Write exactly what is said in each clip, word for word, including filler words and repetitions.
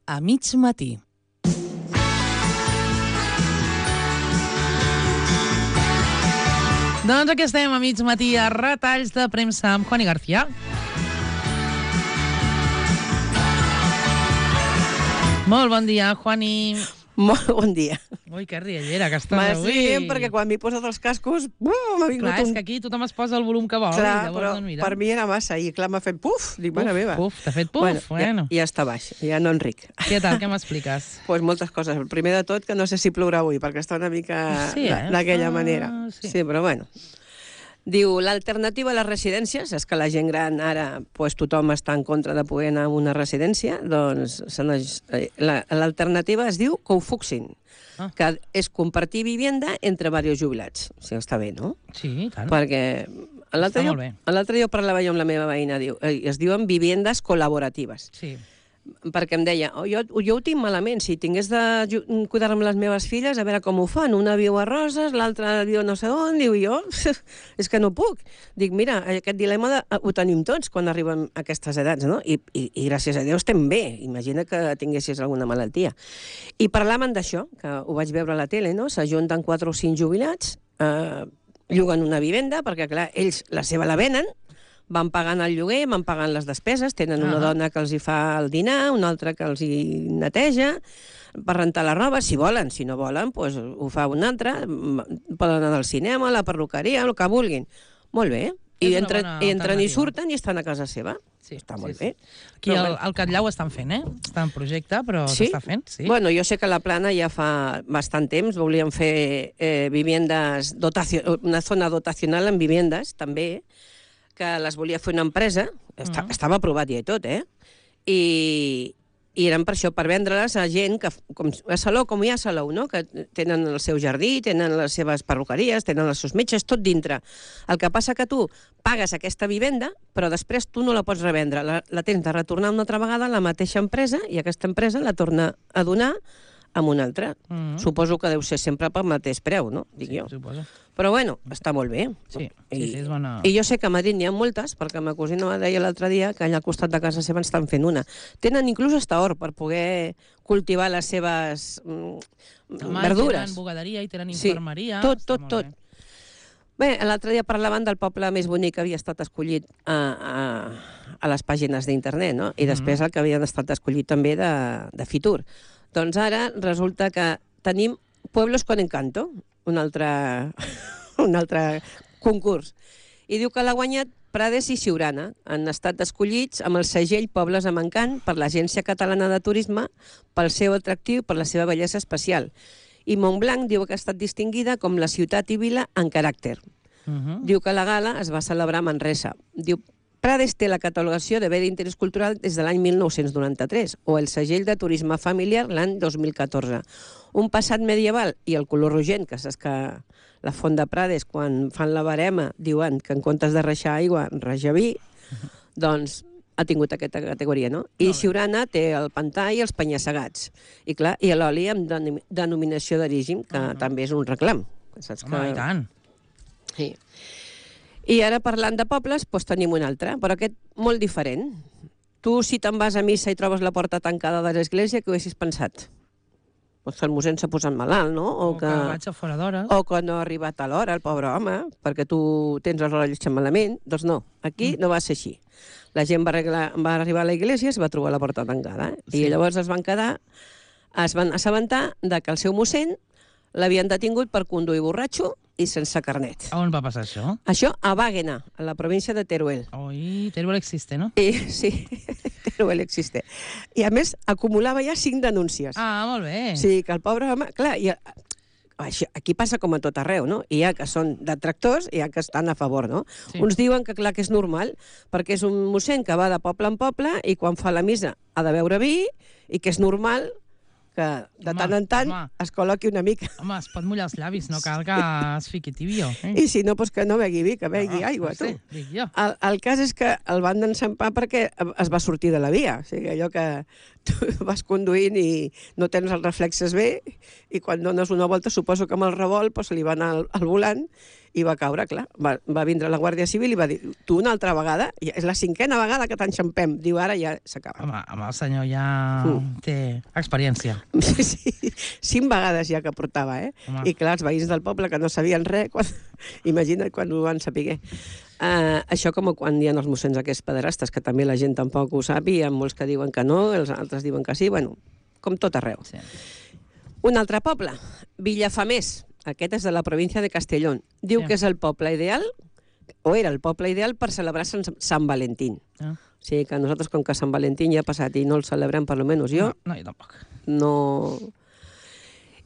a mig matí. Doncs aquí estem a mig matí a Retalls de Premsa amb Juani García. Molt bon dia, Juani. Molt bon dia. Ui, que riallera que estàs avui. M'estic perquè quan m'he posat els cascos, bum, m'ha vingut Clar, un... és que aquí tothom es posa el volum que vol. Clar, llavors, però doncs, mira. per mi era massa, i clar, m'ha fet puf, dic, mare meva. Puf, t'ha fet puf, bueno. bueno. Ja, ja està baix, ja no enric. Què tal, què m'expliques? Pues moltes coses. El primer de tot, que no sé si plourà avui, perquè està una mica Sí, eh? d'aquella Ah, manera. sí. Sí, però bueno. Diu, l'alternativa a les residències, és que la gent gran ara, pues, tothom està en contra de poder anar a una residència, doncs l'alternativa es diu cofuxing, Ah. que és compartir vivenda entre diversos jubilats. O sigui, està bé, no? Sí, clar. Perquè l'altre Està dia, molt bé. l'altre dia parlava jo amb la meva veïna, diu, eh, es diuen vivendes col·laboratives. Sí. Perquè em deia, oh, jo, jo ho tinc malament, si tingués de ju- cuidar-me les meves filles, a veure com ho fan. Una viu a Roses, l'altra viu no sé on, diu jo, és que no puc. Dic, mira, aquest dilema de, ho tenim tots quan arribem a aquestes edats, no? I, i, i gràcies a Déu estem bé. Imagina que tinguessis alguna malaltia. I parlaven d'això, que ho vaig veure a la tele, no? S'ajunten quatre o cinc jubilats, eh, lloguen una vivenda, perquè, clar, ells la seva la venen, van pagant el lloguer, van pagant les despeses, tenen una Ah. dona que els hi fa el dinar, una altra que els hi neteja, per rentar la roba, si volen. Si no volen, doncs ho fa una altra, poden anar al cinema, a la perruqueria, el que vulguin. Molt bé. És I, una entren, bona i entren i alternativa. surten i estan a casa seva. Sí, Està sí, molt sí. bé. Aquí Però al, bueno. al Catllau ho estan fent, eh? Està en projecte, però Sí? s'està fent, sí. Bueno, jo sé que a la Plana ja fa bastant temps volíem fer eh, viviendes, dotacio, una zona dotacional en viviendes, també, que les volia fer una empresa, Està, Mm. estava aprovat ja i tot, eh? I, i eren per això, per vendre-les a gent que, com a Salou, com hi ha a Salou, no? Que tenen el seu jardí, tenen les seves perruqueries, tenen els seus metges, tot dintre. El que passa que tu pagues aquesta vivenda, però després tu no la pots revendre. La, la tens de retornar una altra vegada a la mateixa empresa i aquesta empresa la torna a donar amb una altra. Mm. Suposo que deu ser sempre pel mateix preu, no? Dic Sí, jo. suposo. Però bueno, està molt bé. Sí, I, sí, sí, és bona... I jo sé que a Madrid n'hi ha moltes, perquè ma cosina me deia l'altre dia que allà al costat de casa seva estan fent una. Tenen inclús hasta hort per poder cultivar les seves mm, Home, verdures. tenen bugaderia i tenen Sí, infermeria. tot, està tot, molt tot. bé. Bé, l'altre dia parlaven del poble més bonic que havia estat escollit a, a, a les pàgines d'internet, no? I després el que havien estat escollit també de, de Fitur. Doncs ara resulta que tenim Pueblos con Encanto, un altre, un altre concurs. I diu que l'ha guanyat Prades i Siurana. Han estat escollits amb el segell Pobles amb Encant per l'Agència Catalana de Turisme pel seu atractiu, per la seva bellesa especial. I Montblanc diu que ha estat distinguida com la ciutat i vila en caràcter. Uh -huh. Diu que la gala es va celebrar a Manresa. Diu, Prades té la catalogació de bé d'interès cultural des de l'any mil nou-cents noranta-tres o el segell de turisme familiar l'any dos mil catorze. Un passat medieval i el color rogent, que saps que la font de Prades, quan fan la barema, diuen que en comptes de reixar aigua, reja vi, doncs ha tingut aquesta categoria, no? I Siurana té el pantà i els penya-segats. I clar, i l'oli amb denom- denominació d'origen, que Uh-huh. també és un reclam. Saps Home, que... i tant. Sí. I ara, parlant de pobles, doncs tenim un altre, però aquest molt diferent. Tu, si te'n vas a missa i trobes la porta tancada de l'església, què ho haguessis pensat? Pues que el mossèn s'ha posat malalt, no? O, que... que vaig a fora d'hores. o que no ha arribat a l'hora, el pobre home, perquè tu tens el rellotge malament. Doncs no, aquí mm. no va ser així. La gent va, arreglar, va arribar a l'església i es va trobar la porta tancada. Eh? Sí. I llavors es van quedar, es van assabentar de que el seu mossèn l'havien detingut per conduir borratxo i sense carnet. A on va passar això? Això a Wàguena, a la província de Teruel. Oi, Teruel existe, no? I, sí, Teruel existe. I a més, acumulava ja cinc denúncies. Ah, molt bé. Sí, que el pobre home... Clar, i, això, aquí passa com a tot arreu, no? Hi ha que són detractors i hi ha que estan a favor, no? Sí. Uns diuen que clar que és normal, perquè és un mossèn que va de poble en poble i quan fa la missa ha de beure vi i que és normal que de Home, tant en tant home. es col·loqui una mica. Home, es pot mullar els llavis, no cal que es fiqui tibio. Eh? I si no, doncs que no begui vi, que begui Ah, aigua, no tu. sé, dic jo. El, el cas és que el van enxampar perquè es va sortir de la via. O sigui, allò que tu vas conduint i no tens els reflexes bé, i quan dones una volta, suposo que amb el revolt pues, li va anar al, al volant i va caure, clar. Va, va vindre la Guàrdia Civil i va dir, tu una altra vegada, ja és la cinquena vegada que t'enxampem. Diu, ara ja s'acaba. Home, home, el senyor ja mm. té experiència. Sí, sí, cinc vegades ja que portava, eh? Home. I clar, els veïns del poble que no sabien res, quan... imagina't quan ho van saber. Uh, això com quan hi ha els mossens aquests pederastes, que també la gent tampoc ho sap, i hi ha molts que diuen que no, els altres diuen que sí, bueno, com tot arreu. Sí. Un altre poble, Villafamés. Aquest és de la província de Castellón. Diu sí. que és el poble ideal, o era el poble ideal per celebrar Sant, Sant Valentín. Ah. O sigui que nosaltres, com que Sant Valentín ja ha passat i no el celebrem, per almenys jo... No, no, jo tampoc. No...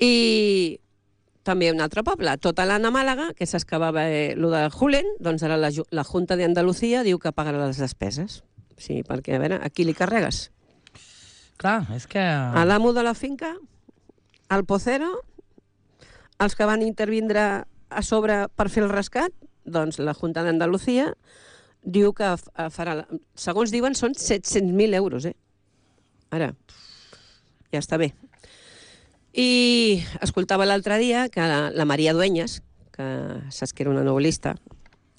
I també un altre poble, tota l'Anna Màlaga, que s'excavava eh, lo de Julen, doncs ara la, la Junta de Andalucía diu que pagarà les despeses. Sí, perquè, a veure, a qui li carregues? Clar, és que... A l'amo de la finca, al pocero... els que van intervindre a sobre per fer el rescat, doncs la Junta d'Andalucía diu que farà... Segons diuen, són set-cents mil euros, eh? Ara, ja està bé. I escoltava l'altre dia que la, la Maria Dueñas, que saps que era una novel·lista,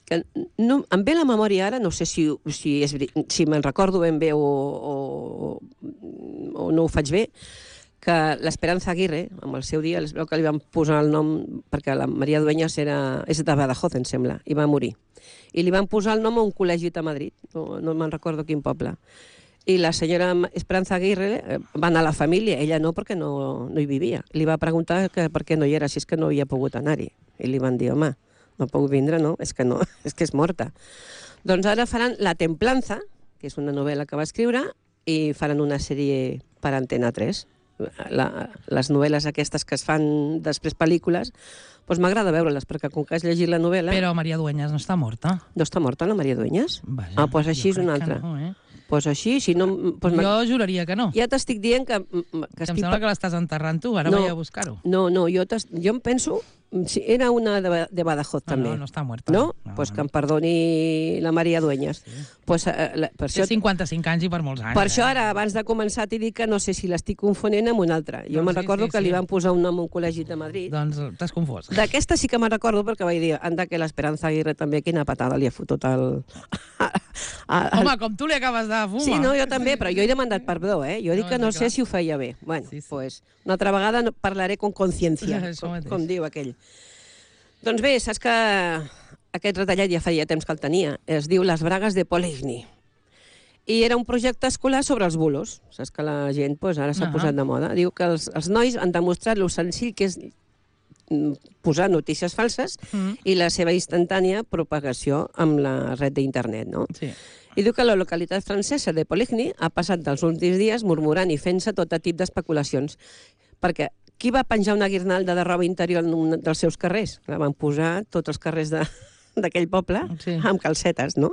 que no, em ve la memòria ara, no sé si, si, és, si me'n recordo ben bé o, o, o no ho faig bé, que l'Esperanza Aguirre, amb el seu dia, es veu que li van posar el nom, perquè la Maria Dueñas era, és de Badajoz, em sembla, i va morir. I li van posar el nom a un col·legi a Madrid, no, no me'n recordo quin poble. I la senyora Esperanza Aguirre va anar a la família, ella no, perquè no, no hi vivia. Li va preguntar que per què no hi era, si és que no havia pogut anar-hi. I li van dir, home, no puc vindre, no, és que no, és que és morta. Doncs ara faran La Templanza, que és una novel·la que va escriure, i faran una sèrie per Antena tres. La, les novel·les aquestes que es fan després pel·lícules, doncs m'agrada veure-les, perquè com que has llegit la novel·la... Però Maria Dueñas no està morta. No està morta, la Maria Dueñas? Vaja, ah, doncs així és una altra. No, eh? Doncs així, si no... Pues jo juraria que no. Ja t'estic dient que... que, que em sembla que l'estàs enterrant tu, ara no, vaig a buscar-ho. No, no, jo, jo em penso... Sí, era una de, de Badajoz, no, també. No, no està muerta. No? Doncs no, pues no. que em perdoni la Maria Dueñas. Sí. Pues, eh, la, per Té això, cinquanta-cinc anys i per molts anys. Per eh? això ara, abans de començar, t'he dit que no sé si l'estic confonent amb una altra. Jo no, me'n sí, recordo sí, que sí. li van posar un nom a un col·legi de Madrid. Doncs t'has confós. D'aquesta sí que me'n recordo perquè vaig dir, anda que l'Esperanza Aguirre també, quina patada li ha fotut al... Home, com tu li acabes de fumar. Sí, no, jo també, però jo he demanat perdó, eh? Jo dic no, que no sé clar. si ho feia bé. Bueno, sí, sí. Pues, una altra vegada parlaré con consciència, com, com diu aquell. Doncs bé, saps que aquest retallat ja feia temps que el tenia. Es diu Les bragues de Poligny. I era un projecte escolar sobre els bulos. Saps que la gent pues, ara s'ha uh -huh. posat de moda. Diu que els, els nois han demostrat lo senzill que és posar notícies falses uh -huh. i la seva instantània propagació amb la red d'internet, no? Sí. I diu que la localitat francesa de Poligny ha passat dels últims dies murmurant i fent-se tot tipus d'especulacions. Perquè qui va penjar una guirnalda de roba interior en un dels seus carrers? La van posar tots els carrers d'aquell poble sí. amb calcetes, no?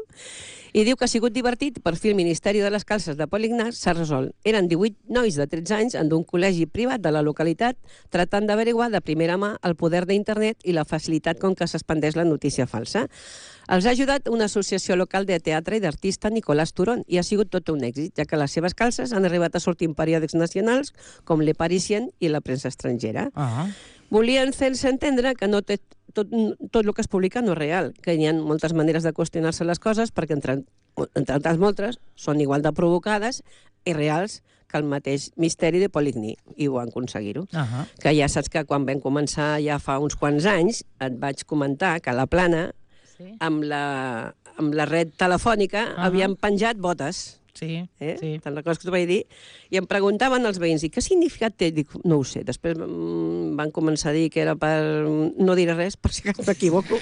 I diu que ha sigut divertit, per fi el Ministeri de les Calces de Poligny s'ha resolt. Eren divuit nois de tretze anys en un col·legi privat de la localitat tratant d'averiguar de primera mà el poder d'internet i la facilitat com que s'expandeix la notícia falsa. Els ha ajudat una associació local de teatre i d'artista, Nicolás Turón, i ha sigut tot un èxit, ja que les seves calces han arribat a sortir en periòdics nacionals com Le Parisien i la premsa estrangera. Uh -huh. Volien fer-se entendre que no té tot, tot el que es publica no és real, que hi ha moltes maneres de qüestionar-se les coses, perquè entre, entre altres moltes són igual de provocades i reals que el mateix misteri de Poligny, i ho han aconseguit-ho. Uh -huh. Que ja saps que quan vam començar ja fa uns quants anys et vaig comentar que a la Plana sí. amb, la, amb la red telefònica uh -huh. havien penjat botes. Sí, eh? sí. Te'n recordes que t'ho vaig dir? I em preguntaven els veïns, i què significat té? Dic, no ho sé. Després mm, van començar a dir que era per... No diré res, per si m'equivoco.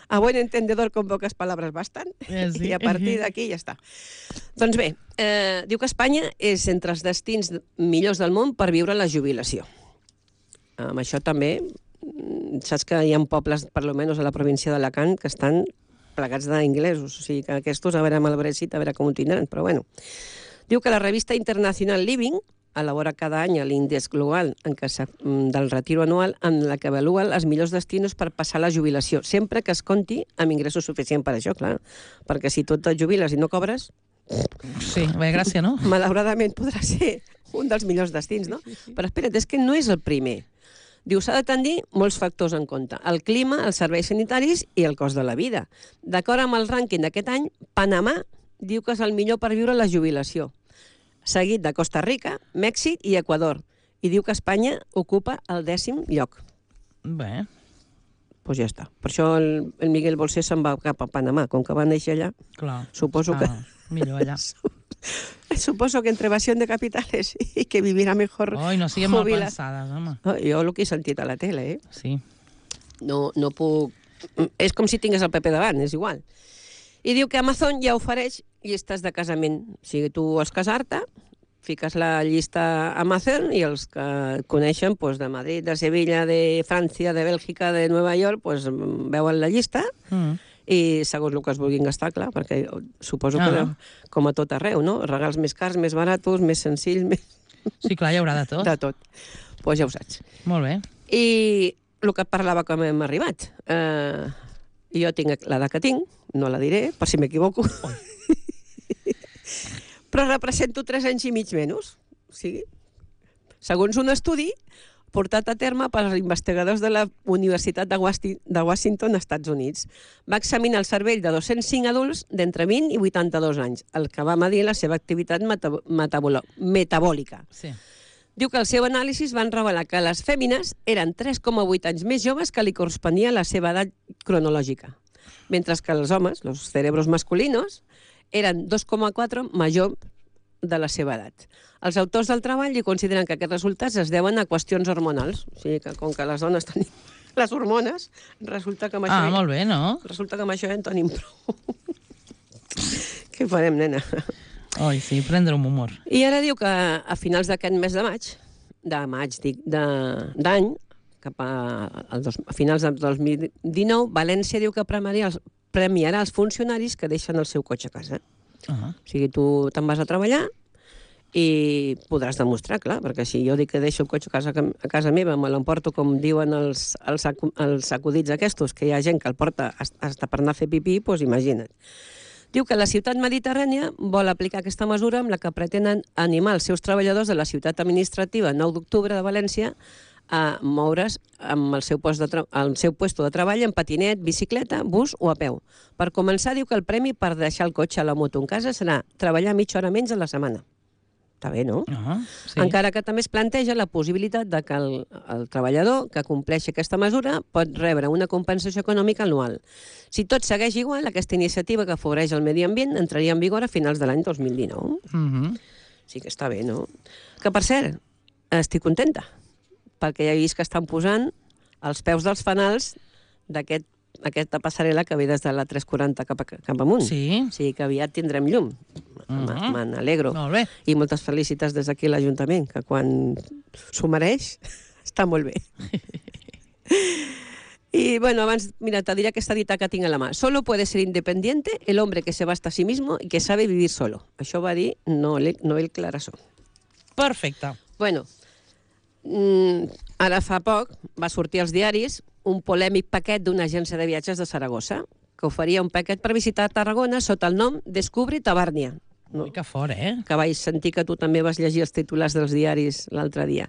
A buen entendedor con pocas palabras bastan. Eh, sí. I a partir d'aquí ja està. Doncs bé, eh, diu que Espanya és entre els destins millors del món per viure la jubilació. Amb això també, saps que hi ha pobles, per almenys a la província d'Alacant, que estan plegats d'inglesos, o sigui que aquests, a veure amb el Brexit, a veure com ho tindran, però bueno. Diu que la revista internacional Living elabora cada any l'índex global en què del retiro anual en la que avalua els millors destinos per passar la jubilació, sempre que es compti amb ingressos suficients per això, clar, perquè si tu et jubiles i no cobres, Sí, bé, gràcia, no? Malauradament podrà ser un dels millors destins, no? Però espera't, és que no és el primer. Diu, s'ha de tenir molts factors en compte. El clima, els serveis sanitaris i el cost de la vida. D'acord amb el rànquing d'aquest any, Panamà diu que és el millor per viure la jubilació. Seguit de Costa Rica, Mèxic i Equador. I diu que Espanya ocupa el dècim lloc. Bé. Doncs pues ja està. Per això el, el Miguel Bosé se'n va cap a Panamà. Com que va néixer allà, clar, suposo que... millor allà. Suposo que entre evasión de capitales y que vivirà mejor. Oi, no siguem mal pensades, home. Oh, jo el que he sentit a la tele, eh? Sí. No, no puc... És com si tingués el paper davant, és igual. I diu que Amazon ja ofereix llistes de casament. O sigui, tu vols casar-te, fiques la llista a Amazon i els que et coneixen pues, de Madrid, de Sevilla, de França, de Bèlgica, de Nova York, pues, veuen la llista mm. i segons el que es vulguin gastar, clar, perquè suposo ah. que com a tot arreu, no? Regals més cars, més baratos, més senzills... Més... Sí, clar, hi haurà de tot. De tot. Doncs pues ja ho saps. Molt bé. I el que parlava com hem arribat. Eh, jo tinc l'edat que tinc, no la diré, per si m'equivoco. Però represento tres anys i mig menys. O sigui, segons un estudi portat a terme pels investigadors de la Universitat de Washington, Estats Units. Va examinar el cervell de dos-cents cinc adults d'entre vint i vuitanta-dos anys, el que va medir la seva activitat metabòlica. Sí. Diu que el seu anàlisi van revelar que les fèmines eren tres coma vuit anys més joves que li corresponia a la seva edat cronològica, mentre que els homes, els cerebros masculinos, eren dos coma quatre major de la seva edat. Els autors del treball hi consideren que aquests resultats es deuen a qüestions hormonals. O sigui que com que les dones tenim les hormones, resulta que amb això... Ah, molt bé, no? Resulta que amb això ja en tenim prou. Què farem, nena? Oi, sí, prendre un humor. I ara diu que a finals d'aquest mes de maig, de maig, dic, d'any, cap a, a, a finals del dos mil dinou, València diu que premiarà els, premiarà els funcionaris que deixen el seu cotxe a casa. Uh -huh. O sigui, tu te'n vas a treballar i podràs demostrar, clar, perquè si jo dic que deixo el cotxe a casa, a casa meva, me l'emporto com diuen els, els, els acudits aquests, que hi ha gent que el porta hasta per anar a fer pipí, doncs imagina't. Diu que la ciutat mediterrània vol aplicar aquesta mesura amb la que pretenen animar els seus treballadors de la ciutat administrativa nou d'octubre de València a moure's amb el seu, post de el seu puesto de treball en patinet, bicicleta, bus o a peu. Per començar, diu que el premi per deixar el cotxe a la moto en casa serà treballar mitja hora menys a la setmana. Està bé, no? Uh-huh, sí. Encara que també es planteja la possibilitat de que el, el treballador que compleixi aquesta mesura pot rebre una compensació econòmica anual. Si tot segueix igual, aquesta iniciativa que afavoreix el medi ambient entraria en vigor a finals de l'any dos mil dinou. Uh-huh. Sí que està bé, no? Que, per cert, estic contenta, perquè ja he vist que estan posant els peus dels fanals d'aquest aquesta passarel·la que ve des de la tres quaranta cap, a, cap amunt. Sí. O sigui que aviat tindrem llum. Uh-huh. Me n'alegro. Molt bé. I moltes felicitats des d'aquí a l'Ajuntament, que quan s'ho mereix, està molt bé. Y bueno, abans, mira, te diré aquesta dita que tinc a la mà. Solo puede ser independiente el hombre que se basta a sí mismo y que sabe vivir solo. Això va dir Noel, Noel Clarasó. Perfecte. Bueno, mm, ara fa poc va sortir als diaris un polèmic paquet d'una agència de viatges de Saragossa que oferia un paquet per visitar Tarragona sota el nom Descubri Tabàrnia. No? Ui, que fort, eh? Que vaig sentir que tu també vas llegir els titulars dels diaris l'altre dia.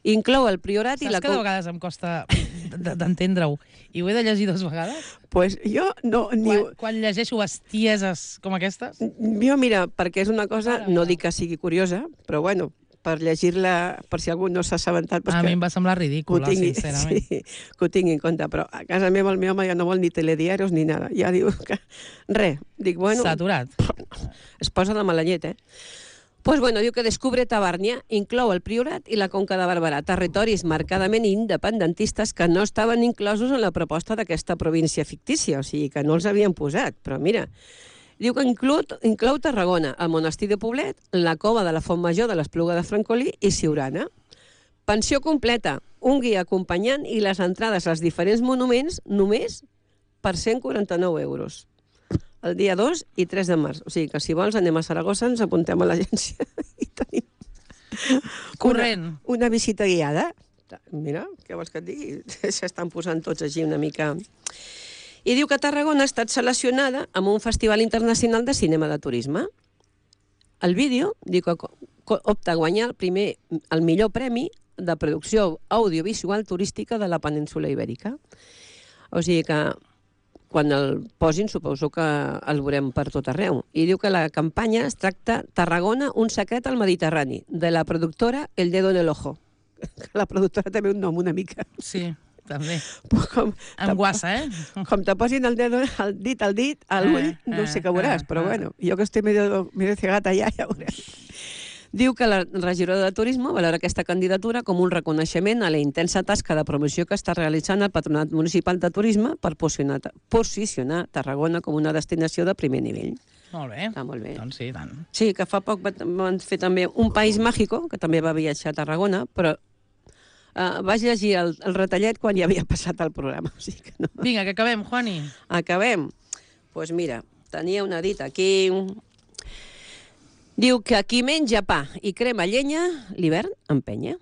Inclou el Priorat Saps i la... que de vegades em costa d'entendre-ho i ho he de llegir dues vegades? Pues jo no... Ni... Quan, quan llegeixo bestieses com aquestes? Jo, mira, perquè és una cosa, Ara, no dic que sigui curiosa, però bueno, per llegir-la, per si algú no s'ha assabentat... Pues a que, mi em va semblar ridícula, tingui, sincerament. Sí, que ho tingui en compte, però a casa meva el meu home ja no vol ni telediaris ni nada. Ja diu que... Res, dic, bueno... Saturat. Es posa de mala llet, eh? Pues bueno, diu que Descubre Tabàrnia inclou el Priorat i la Conca de Barberà, territoris marcadament independentistes que no estaven inclosos en la proposta d'aquesta província fictícia, o sigui que no els havien posat, però mira... Diu que inclou, inclou Tarragona, el monestir de Poblet, la cova de la Font Major de l'Espluga de Francolí i Siurana. Pensió completa, un guia acompanyant i les entrades als diferents monuments només per cent quaranta-nou euros. El dia dos i tres de març. O sigui que si vols anem a Saragossa, ens apuntem a l'agència i tenim corrent. Una, una visita guiada. Mira, què vols que et digui? S'estan posant tots així una mica... I diu que Tarragona ha estat seleccionada amb un festival internacional de cinema de turisme. el vídeo diu que opta a guanyar el primer, el millor premi de producció audiovisual turística de la península Ibèrica. O sigui que quan el posin suposo que el veurem per tot arreu. I diu que la campanya es tracta Tarragona, un secret al Mediterrani, de la productora El Dedo en el Ojo. La productora també un nom una mica. Sí, també. Com, amb guassa, eh? Com te posin el, dedo, el dit al dit, a l'ull, eh, no sé què veuràs, eh, però eh. bueno, jo que estic medio, medio cegata ja, ja veuràs. Diu que la regidora de Turisme valora aquesta candidatura com un reconeixement a la intensa tasca de promoció que està realitzant el Patronat Municipal de Turisme per posicionar, posicionar Tarragona com una destinació de primer nivell. Molt bé. Està molt bé. Doncs sí, tant. Sí, que fa poc van fer també Un País Mágico, que també va viatjar a Tarragona, però uh, vaig llegir el, el retallet quan ja havia passat el programa. O sigui que no. Vinga, que acabem, Juani. Acabem. Doncs pues mira, tenia una dita aquí. Diu que qui menja pa i crema llenya, l'hivern empenya.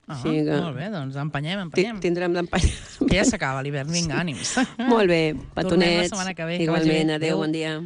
Ah, o sigui que... Molt bé, doncs empenyem, empenyem. Tindrem d'empenyar. Que ja s'acaba l'hivern, vinga, ànims. Molt bé, petonets. Tornem la setmana que ve. Igualment, adéu, bon dia.